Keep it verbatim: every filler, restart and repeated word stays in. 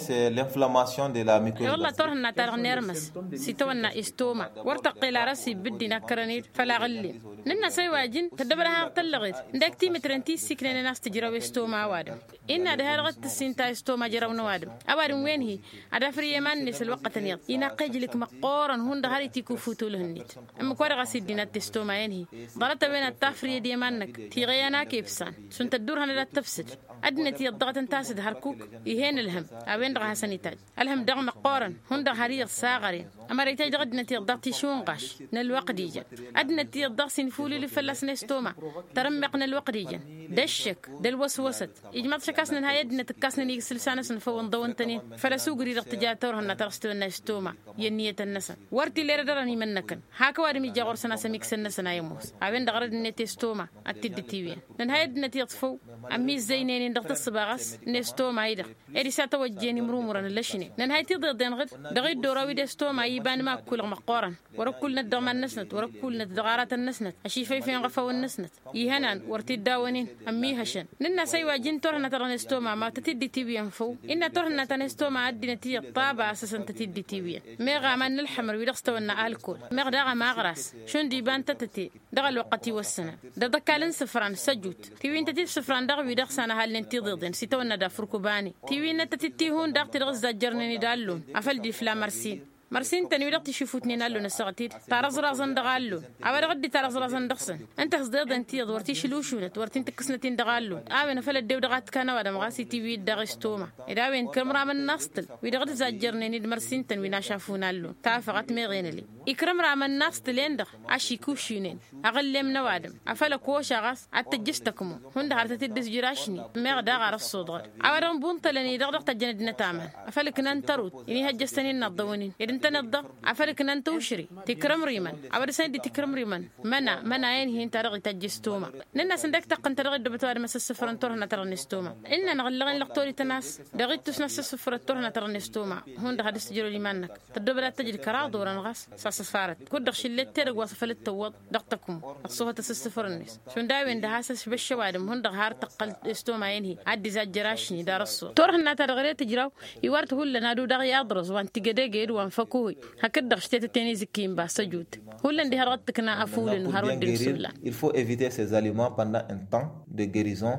L'inflammation de la muqueuse. Wălla turhǝnna-ta-dăɣ n-ermăs s-itawănna estoma wăr tăqqel ara s-ibǝddin akkărăn-dd făll-aɣǝllem. Nǝnn'-as a-iwajǝn tăddăbăd ad-hanăɣ-tăllăɣed ǝndek timǝtren ti ǝssiknăynen a-s tǝjraw estoma a-wa-dăɣ. Innă diha-dăɣ d-tǝssin ta estoma jăraw n-ăwadǝm. Ăwadǝm wen-hi ad-afrǝy i-iman-net ălwăqqătăn iyyăḍ inaqq ejlǝk măqqoorăn hundăɣ har itikǝw fǝwtǝwlăn-net. Ǝmmǝk-wa-dăɣ a-s iddinat testoma-en-hi ḍarăt-a-wen ad-tafrǝyăd i-iman-năk tiɣeya n-akefsan šund tăddurhănăd ad-tăbsǝd. Ăddinăt iyyăḍ daɣ ad-tăn-tasǝd hărkuk. Ih'-en ǝlhăm a-wen-dăɣ a hasăn-itajj ălhăm daɣ măqqoorăn hundăɣ har iyyăḍ saɣăren. Ămăra itajj dăɣ-ăddinăt iyyăḍ daɣ tišunɣaš n-ălwăqq d-ijăn. Ăddinăt iyyăḍ daɣ s-infulǝlǝf fălla-s n-estoma. Tărǝmmeɣ n-ălwăqq d-ijăn d-ăššăk d-ălwăswăsăt. Ijmăḍ šăkasnăn ha i-ăddinăt ǝkkasnăn igsǝlsa-năsăn făw ǝnḍăwăn-tăn-in făll-ăsugri-dăɣ tǝja turhǝnna ta dăɣ-s tewănna estoma. I-ănniyătăn-năsăn wăr t-illa erăd ărăn imǝnnăkăn. Hak ăwadǝm ija ɣur-săn a-s ămiksăn-năsăn a ămoos a-wen-dăɣ rădd-net estoma. Ad-t-dd-tiwǝyăn nǝnhăy ăddinăt iyyăḍ făw ămmizzăynen-in dăɣ-tǝssǝbaɣăs n-estoma-i-dăɣ. Ed isatawăjjen imrumurăn ǝllăšnen nǝnhăy tiḍeḍen ɣǝd dăɣ-iddoraw-i d-estoma iba n-imakkulăɣ măqqoorăn. Wăr-ǝkkulnăt dăɣ-iman-năsnăt wăr-ǝkkulnăt dăɣ-aratăn-năsnăt ăšifăyfăyăn ɣăfawăn-năsnăt. Ihănan wăr t-dd-awăn-in ămmihăšăn. Nǝnn'-as a-iwajǝn turhǝnna-ta-dăɣ n-estoma ma tăt-dd-itiwǝyăn făw. Innă turhǝnna ta n-estoma ăddinăt iyyăḍ ṭaba a-s ăsăn tăt-dd-itiwǝyăn. Meɣ aman n-ălḥămăr wi-dăɣ s-tawănna alkol meɣ daɣ ămaɣras šund iba n-tătăte. Dăɣ-ălwăqqăt iwăssănăn d-aḍăkkal n-isǝfran săjut tiwǝyǝn tăt-dd-sǝfran dăɣ-wi-dăɣ s-anăhal-nen tiḍeḍen s-itawănna d-afurk ubani. Tiwǝyǝn n-ad-tăt-dd tihun daɣ ti-dăɣ ǝzzajjărnen-dd allun afăl dd-ifla mărsin. Mărsin-tăn wi-dăɣ tišufutnen allun ăssaɣăt-dd tarăẓraẓăn dăɣ-allun. A-wa dăɣ-dd-itarăẓraẓăn dăɣ-săn ǝnta hăẓdeḍen tiyyăḍ wăr t-išlǝwšunăt wăr t-in-tǝkkǝsnăt-in dăɣ-allun. A-wen afăl ăddew dăɣ-ad-t-kan ăwadǝm ɣas itiwǝy-dd daɣ estoma. Ed a-wen kǝrǝmramăn n-aẓtǝl wi-dăɣ dd-zajjărnen-dd mărsin-tăn wi n-ašafu n-allun tafăɣăt meɣ enălem. Ikrǝmramăn n-aẓtǝl-en-dăɣ ašikušinen aɣǝllem n-ăwadǝm afăl ăkoša ɣas ad-tǝjjǝs tăkmo. Hundăɣ har tăt-dd-ǝzjǝr ašni meɣ daɣ ar ăṣṣuḍɣăd. A-wa dăɣ-n bunṭălăn-i-dăɣ dăɣ-tăjjănăd-năt aman afăl ǝknan tărut inihăjjăs-tăn-in n-aḍḍăwăn-in ed ǝntăneḍ-dăɣ afăl ǝknan tăwšre. Tikrǝmrimăn a-wa dăɣ-săn dd-tikrǝmrimăn măna măna-en-hi ǝnta dăɣ-itajj estoma. Nǝnn'-as ǝndek taqqǝnt ta dăɣ-dd-ăbăt ăwadǝm a-s ăssǝfărăn turhǝnna ta dăɣ-nestoma. Ǝnnan ɣǝllăɣ-in lăqtorităn a-s dăɣ-ittus n-a-s ăssǝfărăt turhǝnna ta dăɣ-nestoma. Hundăɣ ad-ǝstǝjrăd iman-năk tăddobăd ad-tăjǝd kăraḍ orăn ɣas s-asăsfarăt kud-dăɣ šǝllet tedăgg wa s-afăl dd-tăwwăḍ dăɣ-tăkmu. Ăṣṣuhăt asǝssǝfăr-net šund a-wen-dăɣ has-ăšbăšš ăwadǝm hundăɣ har tăqqăl estoma-en-hi ad-dd-izajjăr ašni d-arăṣṣur turhǝnna ta dăɣ-ere tǝjraw. Iwar-t hullan ad-udaɣ i-aḍrăẓ wa n-tigădege d-wa n-făkuhi. Hakd-dăɣ š-tetăte n-izǝkki n-basăjut hullan diha-dăɣ d-tǝkna afulǝn har wădden s-ǝllan. Il faut éviter ces aliments pendant un temps de guérison.